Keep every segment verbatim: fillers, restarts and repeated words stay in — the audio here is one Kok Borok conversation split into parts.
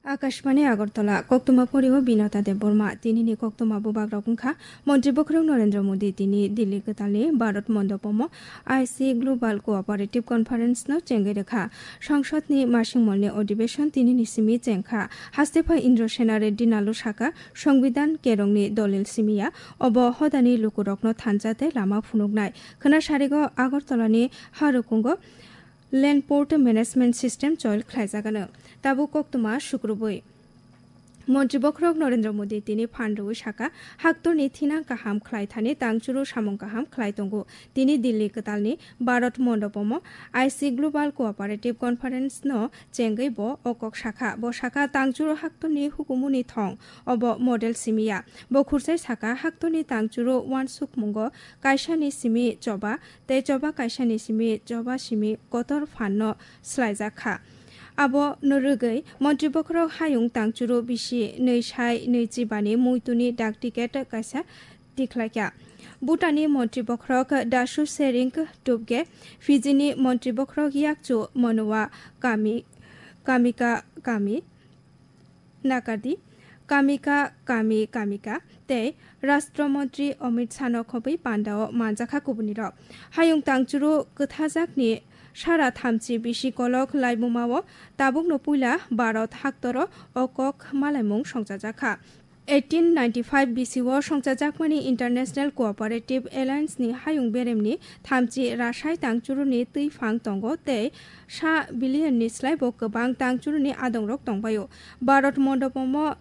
Akashbani Agartala, koktwma poriwo Binata Debbarma, tinini koktwma bubagrok wngkha, Montri Bokhorok Narendra Modi tini Delhi kwtalni Bharat Mondopomo I C Global Cooperative Conference no chengwi rwkha. Sangsodni masingmolni odibeshon tinini simi chengkha. Haste phai Indra Sena Reddy Nalu saka, Songbidan kerongni dolil simiya, obo hodani lukurokno thansa tei lama phunuknai. Khwna sarigo Agartalani harukungo Land Port Management System choil khlaijagano. Tabuk koktwma sukrubwi. Montri Bokhorok Narendra Modi tini phan rwui saka, haktorni thinang kaham khlai thani tangchuru samung kaham khlai tongo. Tini Delhi kwtalni Bharat Mondopomo I C Global Cooperative Conference no chengwi bo o kok sakha. Bo saka tangchuru haktorni hukumuni thong, obo model simiya. Bo khursai saka haktorni tangchuru uansukmungo kaisani simi choba tei choba kaisani simi choba simi kotor phanno swlaijak kha. Abo no rwgwi Montri Bokhorok hayung tangchuru bisi nwi sai nwi chibani muituni dak ticket kaisa tikhlaikha. Bhutanni Montri Bokhorok Dasu Sering Tubge, Fijini Montri Bokhorok Yakchu Monowa Kami, Kamika Kami, Nakardi, Kamika Kami Kamika tei Rashtra Montri Amit Shah no khobwi pandao manjakha kubunirok. Hayung tangchuru kwthajakni sara thamchi bisi kolok laibumao tabukno puila Bharat haktoro o kok malaimung songchajakha. Eighteen ninety-five bisi o songchajakmani International Cooperative Alliance ni hayung beremni thamchi rasai tangchuruni twi phang tongo tei sa billion ni slai bo kwbang tangchuruni adongrok tongbaio. Bharat Mondopomo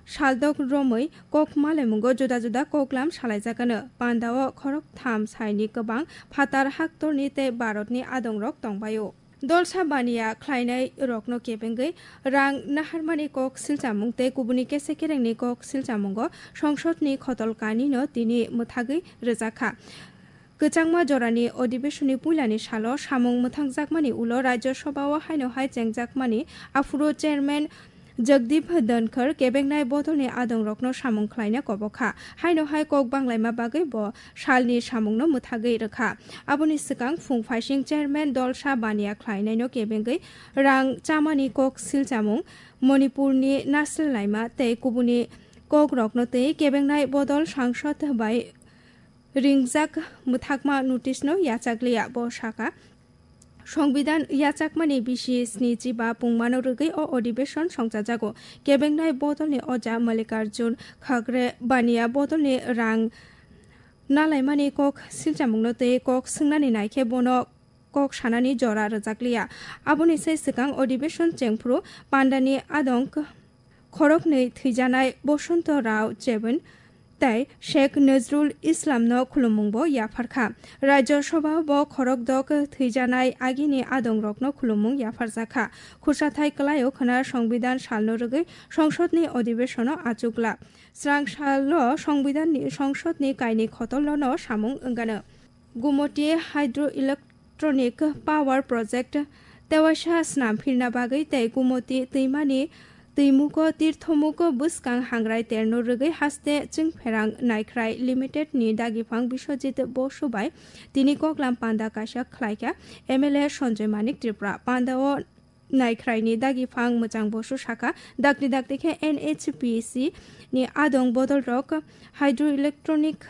saldok romwi kok malaimungo juda juda koklam salaijakano. Pandao khorok tham saini kwbang phatar haktorni tei Bharatni adongrok tongbaio. Dolsa baniya khlainai rokno kebengwi rang naharmani kok silchamung tei kubuni kese kerengni kok silchamungo songsodni khotol kanino tini mwthagwi rwjakha. Kwchangma jorani odibeshonni puilani salo samung mwthangjakmani ulo Rajya Sabhao haino hai chengjakmani aphuru Chairman Jagdeep Dhankhar kebengnai bodolni adongrokno samung khlaina kobokha. Haino hai kok banglaima bagwi bo salni samungno mwthagwi rwkha. Aboni swkang phung phaising Chairman Dolsa baniya khlainaino kebengwi rang chamani kok silchamung, Manipurni nasil laima tei kubuni kokrokno twi kebengnai bodol sangsod bai ringjak mwthakma notice no yachakliya. Bo saka, Songbidan yachakmani bisi sni chiba pungmano rwgwi o odibeshon songchajago. Kebengnai bodolni oja Mallikarjun Khagre baniya bodolni rang nalaimani kok silchamungno tei kok swngnani naikhe bono kok sanani jora rwjakliya. Aboni sai swkang odibeshon chengphuru pandani adong khoroknwi thwijanai Bosonto Rao Chebin tei Sheikh Nazrul Islamno khulumungbo yapharkha. Rajya Sabhao bo khorokdok thwijanai agini adongrokno khulumung yapharjakha. Khursathai kwlaio khwna Songbidan salno rwgwi songsodni odibeshono achukla. Srang salo Songbidanni songsodni kainwi khotolno samung wngano. Gumoti Hydroelectric Electronic Power Project tewaisa snam phirna bagwi tei Gumoti twimani twimugo tirthomugo bwskang hangrai terno rwgwi haste Chwngpherang Naikhrai Limited ni dagipang Biswajit Bosu bai tini koklam panda kaisa khlaikha M L A Sanjoy Manik Tripura. Pandao Naikhrai ni dagipang Mwchang Bosu sakha, dakti dakti khe N H P C ni adong bodolrok hydroelectronic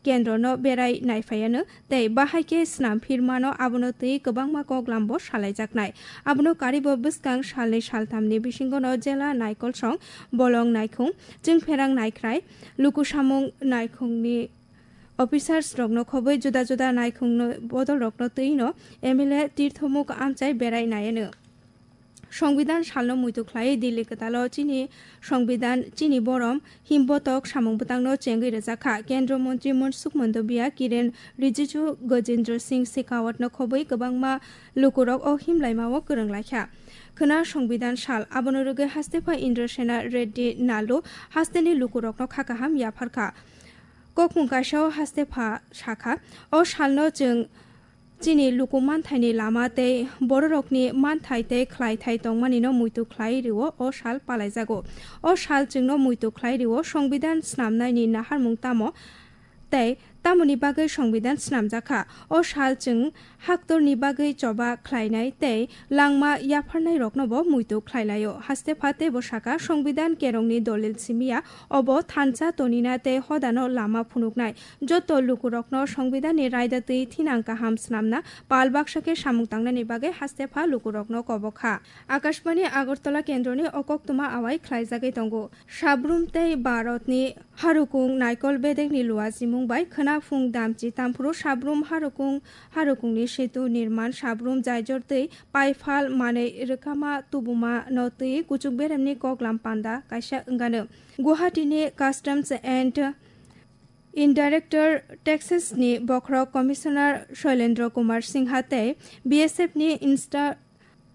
kendrono berai naiphaiano tei bahai khe snam phirmano, abono twi kwbangma koklambo salaijaknai. Abono karibo bwskang salnwi salthamni bisingono jela naikolsong, bolong naikhung, chwngpherang naikhrai, lukusamung naikhungni officers rokno khobwi juda juda naikhungno bodolrokno twino M L A tirthomuk amchai berai naiano. Songbidan salno muitu khlaiwi Delhi kwtalo chini Songbidan, chini borom himbotok samung bwtangno chengwi rwjakha. Kendra Montri Mansukh Mandaviya, Kiren Rijiju, Gajendra Singh Shekhawatno khobwi kwbangma lukurok o himlaimao kwrwng laikha. Khwna Songbidan sal, abono rwgwi haste phai Indra Sena Reddy Nalu hasteni lukurokno kha kaham yapharkha. Kokmung kaisao haste pha sakha, o salno chwng chini luku manthaini lama tei bororokni manthai tei khlaithai tongmanino muitu khlai rwo o sal palaijago. O sal chwngno muitu khlai rwo Songbidan snamnaini naharmung tamo tei Tamoni bagwi Songbidan snamjakha. O sal chwng haktorni bagwi choba khlainai tei langma yapharnairoknobo muitu khlailaio. Haste pha teibo saka, Songbidan kerongni dolil simiya obo thansa tonina tei hodano lama phunuknai. Joto lukurokno Songbidanni raida twi thinang kaham snamna pal baksa khe samung tangnani bagwi haste pha lukurokno kobokha. Akashbani Agartala kendroni o koktwma awai khlaijagwi tongo. Sabrum tei Bharatni harukung naikol bedekni luajimung bai khwna phung damchi tamphuru Sabrum harukung, harukungni setu nirman, Sabrum jaijor twi paiphal manwi rwkama tubuma no twi kuchuk beremni koklam panda kaisa wngano. Guwahati ni Customs and Indirector Taxes ni bokhorok Commissioner Shoilendra Kumar Singha tei B S F ni Insta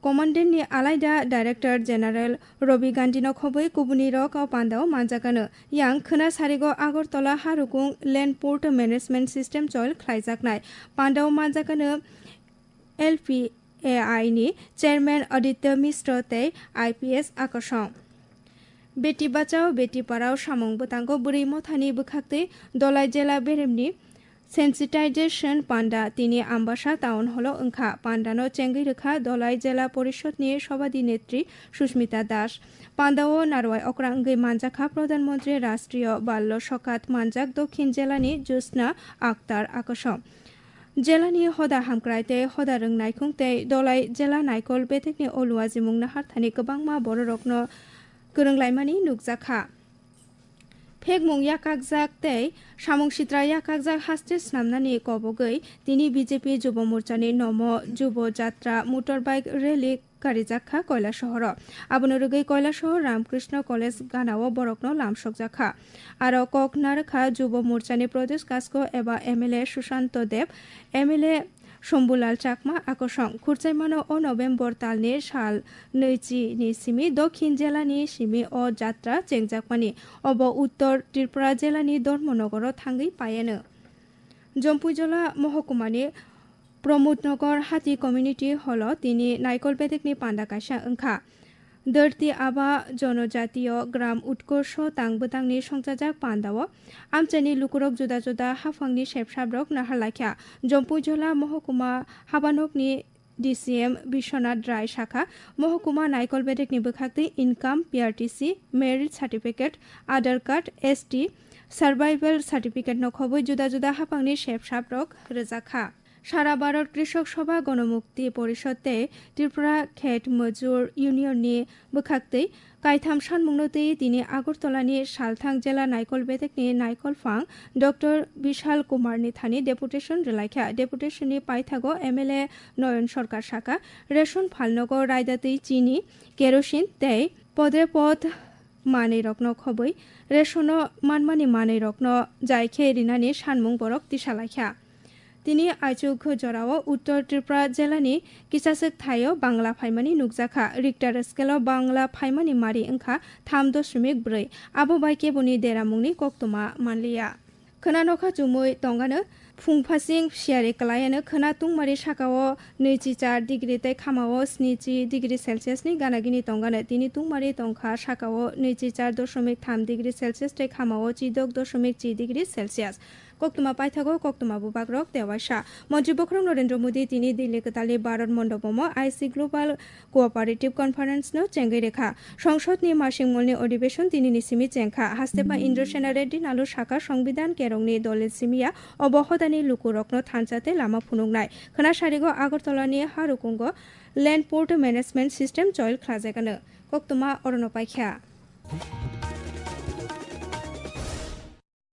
Commandant ni alaida Director General Ravi Gandhi no khobwi kubuni rok o panda o manjakano. Yang khwna sarigo Agartala harukung Land Port Management System choil khlaijaknai. Panda o manjakano L P A I ni Chairman Aditya Mishra tei I P S Akasong. Beti Bachao Beti Padhao samung bwtango bwrwi mothani bwkhaktwi Dolai jela beremni sensitization panda tini Ambasa Town Hall o wngkha. Pandano chengwi rwkha Dolai Jela Porishod ni Sobhadi Netri Sushmita Das. Pandao narwai okra wngwi manjakha Pradhan Mantri Rashtriya Ballo Sokat manjak Dokhin Jela ni Jyotsna Akhtar Akasong. Jelani hoda hamkrai tei hoda rwng naikhung tei Dolai jela naikol bedekni o luajimung naharthani kwbangma bororokno kwrwng laimani nukjakha. Phekmung yakakjak tei samung sitra yakakjak haste snamnani kobogwi tini B J P Jubo Morchani Nomo Jubo Jatra Motorbike Rally karijak kha Koilasohoro. Abono rwgwi Koilasohor Ramkrishna College ganao borokno lamsokjak kha. Aro kok narwkha Jubo Morchani Pradesh Kasko eba M L A Sushanto Deb, M L A Shambhulal Chakma Akosong. Khurchaimano o November talni sal nwichi ni simi Dokhin jelani simi o jatra chengjakmani. Obo Uttor Tripura jelani Dharmanagaro thangwi paiano. Jompuijola mohokumani Pramodnagar Hati Community Hall o tini naikol bedekni panda kaisa wngkha. Dharti Aba Jonojatiyo Gram Utkorsho tang bwtangni songchajak pandao amchaini lukurok juda juda haphangni sepsaprok naharlaikha. Jompuijola mohokuma habanokni D C M Biswanath Rai sakha, mohokuma naikol bedekni bwkhaktwi income, P R T C, marriage certificate, Aadhaar card, S T, survival certificate no khobwi juda juda haphangni sepsaprok rwjakha. Sara Bharat Krishok Sabha, Ganamukti Porishad tei Tripura Khet Majur Union ni bwkhaktwi kaitham sanmungno twi tini Agartala ni salthang jela naikol bedekni naikol phang Doctor Bishal Kumar ni thani deputation rwlaikha. Deputation ni paithago M L A Noyon Sarkar sakha, ration phalnogo raida twi chini, kerosene tei podrepot manwirokno khobwi ration o manmani manwirokno jai khe rinani sanmung borok tisalaikha. Tini aichuk jorao Uttor Tripura jelani kisaswk thaio bangla phaimani nukjakha. Richter scale o bangla phaimani mari wngkha tham doshmik bwrwi. Abo bai keboni deramungni koktwma manliya. Khwna nokha chumui tongano phung phasing siyari kwlaiano khwna tungmari sakao nwichi char degree tei khamao snichi degree Celsius ni gana gini tongano. Tini tungmari tongkha sakao nwichi char doshmik tham degree Celsius tei khamao chidok doshmik chi degree Celsius. Koktwma paithago koktwma bubagrok tewaisa. Montri bokhorok Narendra Modi tini Delhi kwtalni Bharat Mondopomo I C Global Cooperative Conference no chengwi rwkha. Songsod ni masing molni odhibeshon tini ni simi chengkha. Haste ba Indra Sena Reddy nalu saka Songbidan kerongni dolil simiya obo hodani lukurokno thansa tei lama phunuknai. Khwna sarigo Agartala ni harukungo Land Port Management System choil khlajagano. Koktwma orono paikha.